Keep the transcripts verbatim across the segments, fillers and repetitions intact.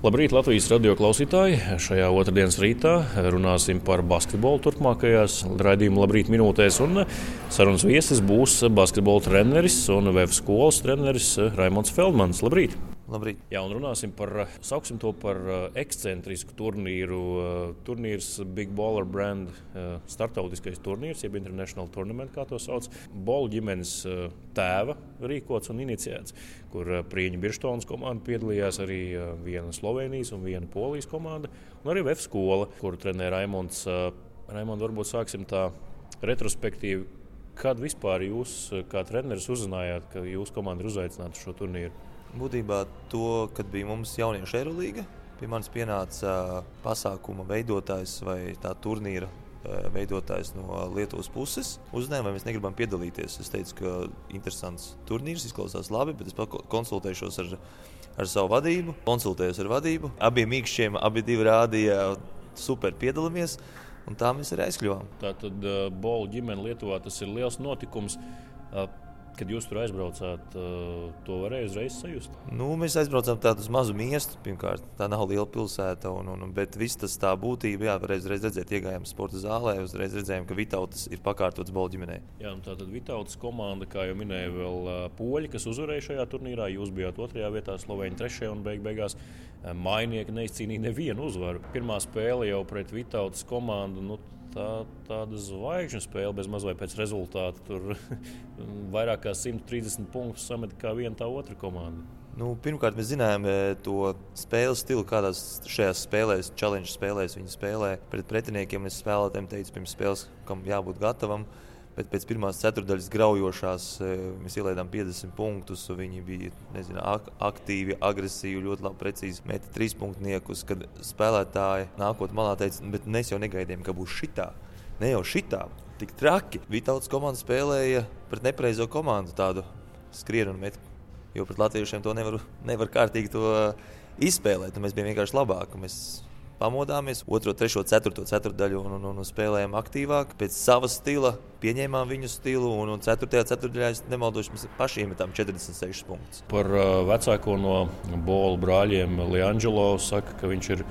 Labrīt, Latvijas radio klausītāji! Šajā otrdienas rītā runāsim par basketbolu turpmākajās raidījuma Labrīt minūtēs. Un sarunas viesis būs basketbola treneris un V F skolas treneris Raimonds Feldmans. Labrīt! Labrīt. Jā, un runāsim par, sauksim to par ekscentrisku turnīru. Turnīrs Big Baller Brand, startautiskais turnīrs, jeb International Tournament, kā to sauc. Bolu ģimenes tēva rīkots un iniciēts, kur Prieņu Birštonas komanda piedalījās, arī viena Slovenijas un viena Polijas komanda, un arī V F skola, kuru trenē Raimonds. Raimond, varbūt sāksim tā retrospektīvi. Kad vispār jūs, kā treneris, uzzinājāt, ka jūsu komanda ir uzaicināta šo turnīru? Būtībā to, kad bija mums jauniešu Eirolīga, pie manis pienāca pasākuma veidotājs vai tā turnīra veidotājs no Lietuvas puses. Uzzināja, vai mēs negribam piedalīties. Es teicu, ka interesants turnīrs, izklausās labi, bet es konsultēšos ar, ar savu vadību. Konsultējos ar vadību. Abiem mīkšķiem, abi divi rādīja super piedalāmies, un tā mēs arī aizkļuvām. Tātad uh, Bolu ģimene Lietuvā, tas ir liels notikums. Uh, Kad jūs tur aizbraucāt, to varēja uzreiz sajust? Nu, mēs aizbraucām tādu uz mazu miestu, pirmkārt. Tā nav liela pilsēta, un, un, bet viss tas tā būtība, jā, varēja uzreiz redzēt, iegājām sporta zālē, uzreiz redzējām, ka Vitautas ir pakārtots Bolu ģimenei. Jā, un tātad Vitautas komanda, kā jau minēja, vēl poļi, kas uzvarēja šajā turnīrā, jūs bijāt otrajā vietā, Slovēņi trešajā, un beig beigās mainieki neizcīnīja nevienu uzvaru. Pirmā spēle jau pret Vitautas komandu, nu, Tā, tāda zvaigžņu spēle bez maz vai pēc rezultāta. Tur vairāk kā simt trīsdesmit punktus samet kā viena tā otra komanda. Nu, pirmkārt, mēs zinājām to spēles stilu, kādās šajās spēlēs, challenge spēlēs viņi spēlē. Pret pretiniekiem es spēlētājiem teicu pirms spēles, kam jābūt gatavam. Bet pēc pirmās ceturdaļas graujošās mēs ielaidām piecdesmit punktus. Viņi bija nezinu, ak- aktīvi, agresīvi, ļoti labi, precīzi meta trīspunktniekus. Kad spēlētāji nākot malā teica, bet mēs jau negaidījām, ka būs šitā. Ne jau šitā, tik traki. Vitautas komanda spēlēja pret nepareizo komandu, tādu skrienu un metu. Jo pret latviešiem to nevar, nevar kārtīgi to izspēlēt. Mēs bijām vienkārši labāki. Mēs pamodāmies, otro, trešo, ceturto ceturtdaļu un, un, un spēlējām aktīvāk. Pēc sava stila pieņēmām viņu stilu, un, un ceturtajā ceturtdaļā, es nemaldošu, mēs paši iemetām četrdesmit sešus punktus. Par uh, vecāko no Bolu brāļiem Liangelo saka, ka viņš ir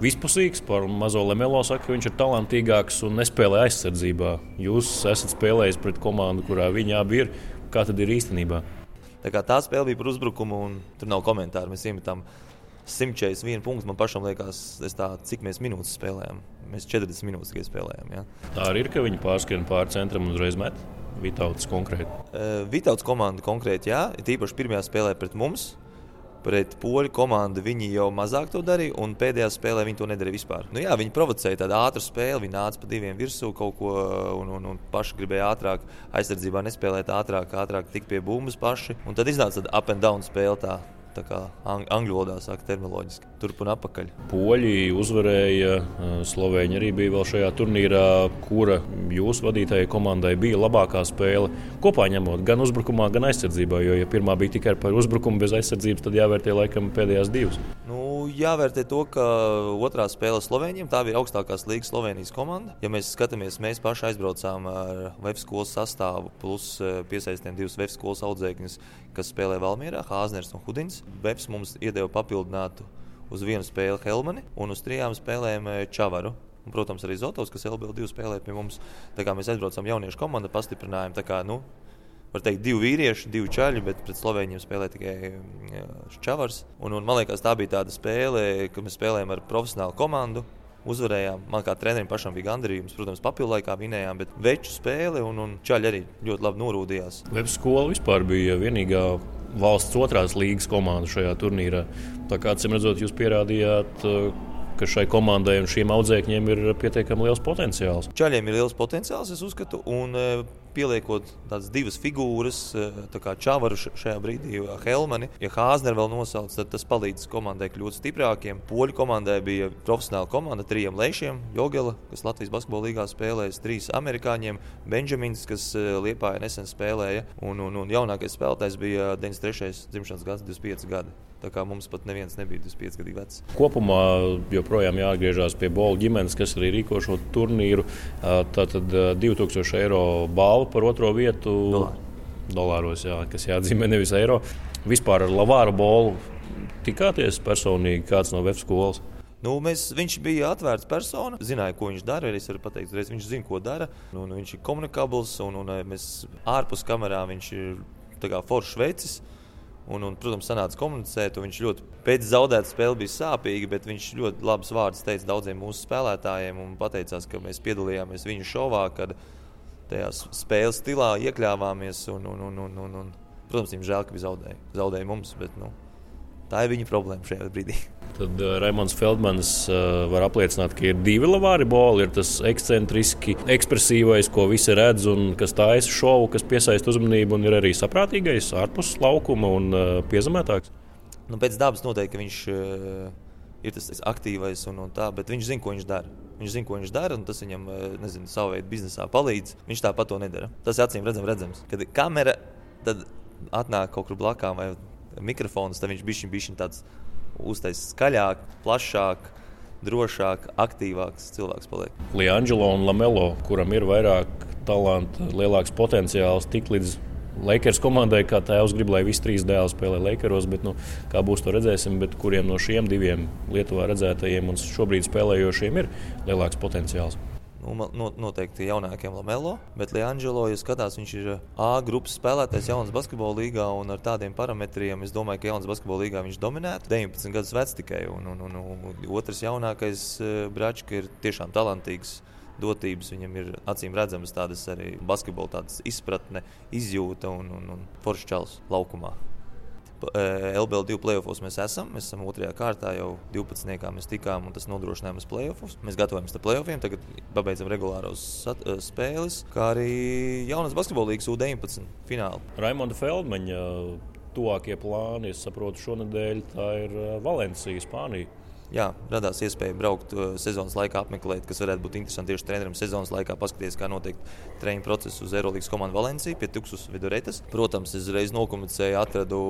vispusīgs, par mazo Lemelo saka, ka viņš ir talantīgāks un nespēlē aizsardzībā. Jūs esat spēlējis pret komandu, kurā viņi abi ir. Kā tad ir īstenībā? Tā kā tā spēle bija par uzbrukumu, un tur nav komentāru. Mēs iemetām simt četrdesmit vienu punktu, man pašam liekas, tā, cik mēs minūtes spēlējām. Mēs četrdesmit minūtes tikai spēlējām. Ja. Tā arī ir, ka viņi pārskrien pāri centram un uzreiz met? Vitautas konkrēti. Uh, Vitautas komanda konkrēti, jā. Tīpaši pirmajā spēlē pret mums. Pret poļu komandu viņi jau mazāk to darīja, un pēdējā spēlē viņi to nedarīja vispār. Nu jā, viņi provocēja tādu ātru spēli, viņi nāca pa diviem virsū kaut ko, un, un, un paši gribēja ātrāk aizsardzībā nespēlēt ātrāk, ātrāk tikt pie bumbas paši. Un tad iznāca tāda up and down spēle tā. Tā kā angļu valodā saka terminoloģiski, turp un apakaļ. Poļi uzvarēja, Slovēņi arī bija vēl šajā turnīrā, kura jūsu vadītājai komandai bija labākā spēle. Kopā ņemot gan uzbrukumā, gan aizsardzībā, jo ja pirmā bija tikai par uzbrukumu bez aizsardzības, tad jāvērtē laikam pēdējās divas. Nu, jāvērtē to, ka otrā spēle Slovēņiem, tā bija augstākās līgas Slovenijas komanda. Ja mēs skatāmies, mēs paši aizbraucām ar V F skolas sastāvu, plus piesaistījām divus V F skolas audzēkņus, kas spēlē Valmierā, Hāzners un Hudins. V F mums iedeva papildinātu uz vienu spēli Helmani un uz trijām spēlēm Čavaru. Un, protams, arī Zotovs, kas L B L divi spēlē pie mums. Tā kā mēs aizbraucām jauniešu komandu, pastiprinājām. Tā kā, nu, var teikt, divi vīrieši, divi čaļi, bet pret Slovēņiem spēlē tikai Čavars. Un, un man liekas, tā bija tāda spēle, kad mēs spēlējām ar profesionālu komandu. Uzvarējām. Man kā trenerim pašam bija gandarījums. Protams, papildu laikā vinējām, bet veču spēle un, un čaļi arī ļoti labi norūdījās. V F skola vispār bija vienīgā valsts otrās līgas komanda šajā turnīrā. Tā kā, acīm redzot, jūs pierādījāt, ka šai komandai un šiem audzēkņiem ir pietiekami liels potenciāls. Čaļiem ir liels potenciāls, es uzskatu, un pieliekot tādas divas figūras, tā kā Čavaru šajā brīdī, Helmani, ja Hāzner vēl nosauc, tad tas palīdz komandai kļūt stiprākiem. Poļu komandai bija profesionāla komanda trījiem lešiem, Jogela, kas Latvijas basketbola līgā spēlējas, trīs amerikāņiem, Benjamins, kas Liepājā nesen spēlēja, un, un, un jaunākais spēlētājs bija deviņdesmit trešais dzimšanas gads, divdesmit pieci gadi. Tā kā mums pat neviens nebija divdesmit pieci gadu vecs. Kopumā joprojām jāatgriežas pie Bolu ģimenes, kas arī rīko šo turnīru. Tātad divi tūkstoši eiro balva par otro vietu. Dolāri. Dolāros, jā, kas jāatzīmē, nevis eiro. Vispār ar Lavāru Bolu tikāties personīgi kāds no web skolas? Nu, mēs, viņš bija atvērts persona, zināja, ko viņš dara. Es varu pateikt, reiz viņš zina, ko dara. Nu, nu, viņš ir komunikabls, un, un mēs ārpus kamerā viņš ir tā kā foršs vecis. Un, un, protams, sanāca komunicēt, un viņš ļoti pēc zaudētas spēles bija sāpīgi, bet viņš ļoti labus vārdus teica daudziem mūsu spēlētājiem un pateicās, ka mēs piedalījāmies viņu šovā, kad tajā spēles stilā iekļāvāmies. Un, un, un, un, un, un, protams, viņam žēl, ka bija zaudēja. Zaudēja mums, bet nu, tā ir viņa problēma šajā brīdī. Tad uh, Raimonds Feldmanis uh, var apliecināt, ka ir divi lavāri boli. Ir tas ekscentriski, ekspresīvais, ko visi redz un kas taisa šovu, kas piesaista uzmanību, un ir arī saprātīgais, ārpus laukuma un uh, piezemētāks. Nu, pēc dabas noteikti, ka viņš uh, ir tas aktīvais un, un tā, bet viņš zina, ko viņš dara. Viņš zina, ko viņš dara, un tas viņam, nezinu, savu veidu biznesā palīdz. Viņš tāpat to nedara. Tas acīm redzam, redzams. Kad kamera tad atnāk kaut kur blakām vai mikrofons, tad viņš bišķiņ, bišķiņ tāds uztaisīs skaļāk, plašāk, drošāk, aktīvāks cilvēks paliek. Liangelo un Lamelo, kuram ir vairāk talanta, lielāks potenciāls, tik līdz Lakers komandai, kā tēvs grib, lai visi trīs dēli spēlē Lakeros, bet nu, kā būs, to redzēsim. Bet kuriem no šiem diviem Lietuvā redzētajiem un šobrīd spēlējošiem ir lielāks potenciāls? Nu, noteikti jaunākiem Lamelo, bet Liangelo, ja skatās, viņš ir A grupas spēlētājs jaunas basketbola līgā, un ar tādiem parametriem es domāju, ka jaunas basketbola līgā viņš dominētu. deviņpadsmit gadus vecs tikai, un, un, un, un otrs jaunākais Bračka ir tiešām talantīgs. Dotības viņam ir acīm redzamas tādas arī basketbola tādas izpratne, izjūta un, un, un foršs čals laukumā. L B L divi playoffos mēs esam. Mēs esam otrajā kārtā, jau divpadsmitniekā mēs tikām, un tas nodrošinājums playoffos. Mēs gatavojamies tam playoffiem, tagad pabeidzam regulāros sat, spēles, kā arī jaunas basketbola līgas U deviņpadsmit finālu. Raimonda Feldmaņa tuvākie plāni, es saprotu, šonedēļ tā ir Valencija, Spānija. Jā, radās iespēja braukt uh, sezonas laikā, apmeklēt, kas varētu būt interesanti tieši trenerim sezonas laikā, paskatīties, kā notiek treniņu procesu uz Eirolīgas komandu Valencija pie Tuksus Viduretes. Protams, es reiz nokomunicēju, atradu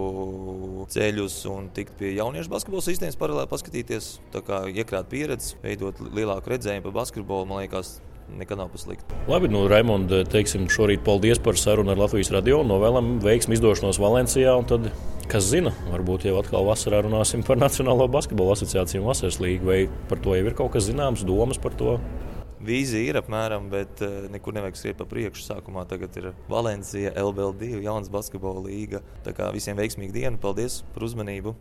ceļus un tikt pie jauniešu basketbola sistēmas paralēli paskatīties, tā kā iekrāt pieredzi, veidot lielāku redzējumu par basketbolu, man liekas, nekad nav paslikti. Labi, nu, Raimond, teiksim šorīt paldies par sarunu ar Latvijas radio. Novēlam veiksmi izdošanos Valencijā, un tad, kas zina, varbūt jau atkal vasarā runāsim par Nacionālo basketbola asociāciju un vasaras līgu, vai par to jau ir kaut kas zināms, domas par to? Vīzija ir apmēram, bet uh, nekur nevajag skriet pa priekšu. Sākumā tagad ir Valencija, L B L divi, jaunas basketbola līga. Tā kā visiem veiksmīgu dienu, paldies par uzmanību!